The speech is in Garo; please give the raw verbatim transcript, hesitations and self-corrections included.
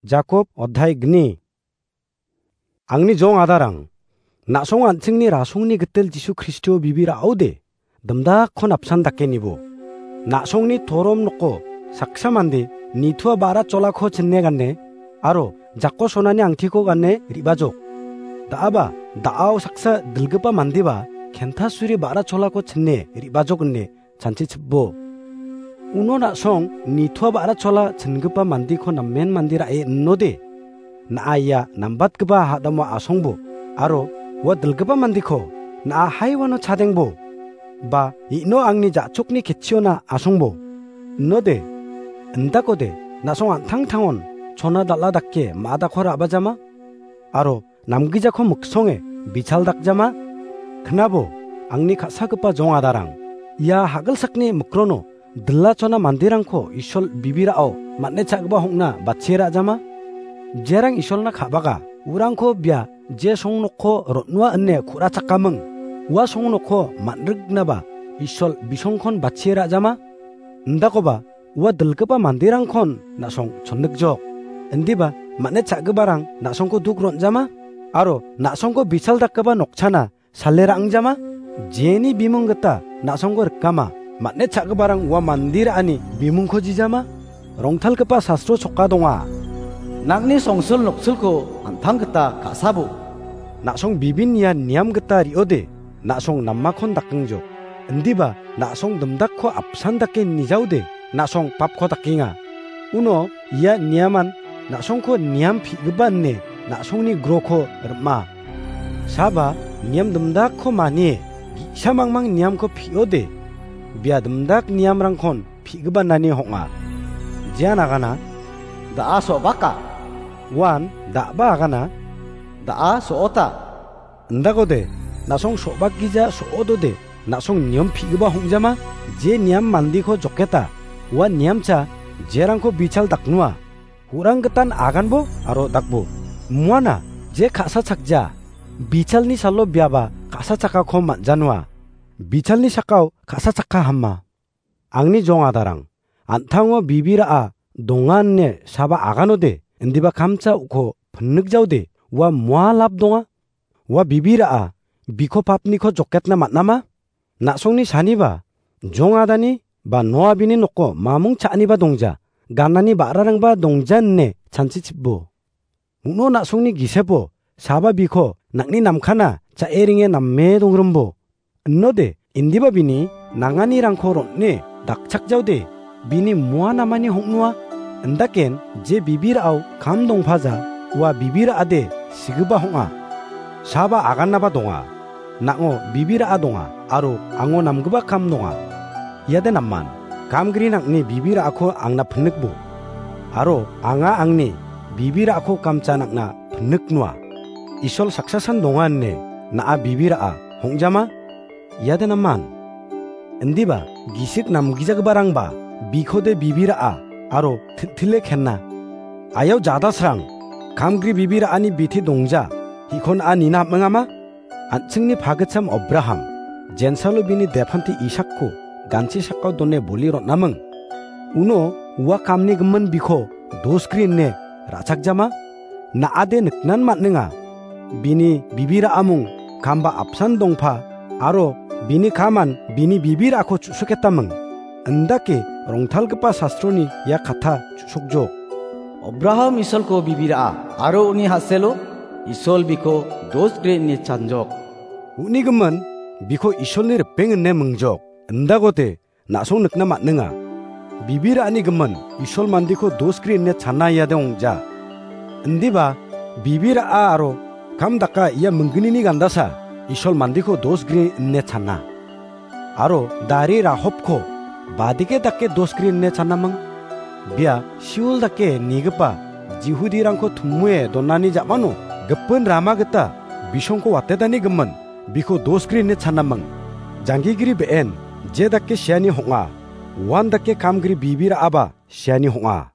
Jakob odhai gni. Angni jong adarang, na·song an·chingni rasongni gitel Jisu Kristo bibir a·ode, dimdakkon apsan dake nibo. Na·songni torom noko saksa mande nitua ba·ra cholako chinne gane, aro jako sonani angtiko gane re·bajok. Da·aba, da·ao saksa dilgipa mandeba kentasuri ba·ra cholako chinne re·bajok ine chanchichibo. Uno na·song nitua ba·ra chola chingipa mandeko namen mande ra·e inode, na·a ia nambatgipa hadamo asongbo, aro ua dilgipa mandeko na·a haiwano chadengbo, ba ino angni ja·chokni ketchiona asongbo. Inode, indakode, na·song an·tangtangon chona dal·a dake ma·dako ra·bajama? Aro namgijako miksonge bichal dakjama? Knabo, angni ka·sagipa jong adarang, ia hagilsakni mikrono dilachona manderangko Isol bibirao man·e cha·gipa hongna bachie ra·jama? Jerang Isolna ka·baga, urangko bia je songnokko ron·ua ine ku·rachakaming, ua songnokko man·rignaba Isol bisongkon bachie ra·jama? Indakoba, ua dilgipa manderangkon na·song chonnikjok. Indiba, man·e cha·giparang na·songko duk ron·jama? Aro na·songko bichal dakgipa nokchana sale ra·angjama? Jeni bimung gita na·songko rikama, man·e cha·giparang ua mande ra·ani bimungko jijama? Rongtalgipa sastro choka donga. Nangni songsil noksilko an·tang gita ka·sabo. Na·song bibin ia niam gita re·ode, na·song namakon dakengjok. Indiba, na·song dimdakko apsan dake nijaode, na·song papko dakenga. Uno ia niaman na·songko niam pi·gipa ine na·songni groko rim·a. Saba niam dimdakko manie, ge·sa mangmang niamko pi·ode, bia dimdak niamrangkon pi·gipa nani hong·a. Jean agana, da·a so·baka. Uan da·ba agana, da·a so·ota. Indakode, na·song so·bakgija so·odode, na·song niam pi·gipa hong·jama, je niam mandeko joketa, ua niamcha, jerangko bichal daknua, hu·rang gitan aganbo aro dakbo. Muana, je ka·sa chakja, bichalni salo biaba ka·sa chakako man·janua. Bichalni sakao ka·sa chakka hama. Angni jong adarang, an·tango bibira·a donga ine saba aganode, indiba kamcha uko pinnikjaode, ua mua lap donga? Ua bibira·a biko papniko joketna man·ama? Na·songni saniba, jong adani ba noa bini noko mamung cha·aniba dongja, ganani ba·rarangba dongja ine chanchichibo. Uno na·songni gisepo saba biko nang·ni namkana cha·e ringe name dongrimbo. Inode, indiba bini nanganirangko ron·e dakchakjaode, bini mua namani hong·noa. Indaken je bibira·o kam dongpaja, ua bibira·ade sigipa hong·a. Saba agannaba donga. Nang·o bibira·a donga, aro ango namgipa kam donga. Iade naman, kamgri nang·ni bibira·ako angna pinnikbo. Aro anga angni bibira·ako kamcha nang·na pinniknoa. Isol saksasan donga ine na·a bibira·a hong·jama? Iade naman. Indiba, gisik namgijagiparangba bikode bibira·a aro til·tile kenna. Ayau jadasrang, kamgri bibira·ani biti dongja, hikon a nina am·engama? An·chingni pagitcham Abraham, jensalo bini depanti Isakko ganchi sakao done boli ron·aming. Uno ua kamni gimin biko dosgri ine ra·chakjama? Na·ade niknan man·enga. Bini bibira·amung kamba apsan dongpa, aro bini kaman bini bibira·ako chu·soketaming. Indake rongtalgipa sastroni ia kata chu·sokjok. Abraham Isolko bibira·a, aro uni haselo Isol biko dosgri ine chanjok. Uni gimin biko Isolni ripeng ine mingjok. Indagode na·song nikna man·enga. Bibira·ani gimin Isol mandiko dosgri ine chana iade ong·ja. Indiba bibira·a aro kam daka ia minggnini gandasa Isol mandiko dosgri ine chana. Aro dari Rahopko badike dake dosgri ine chanaming? Bia Siul dake nigipa Jihudirangko tumue donani ja·mano gipin rama gita bisongko watetani gimin biko dosgri ine chanaming. Janggigri be·en je dake siani hong·a, uan dake kamgri bibira·aba siani hong·a.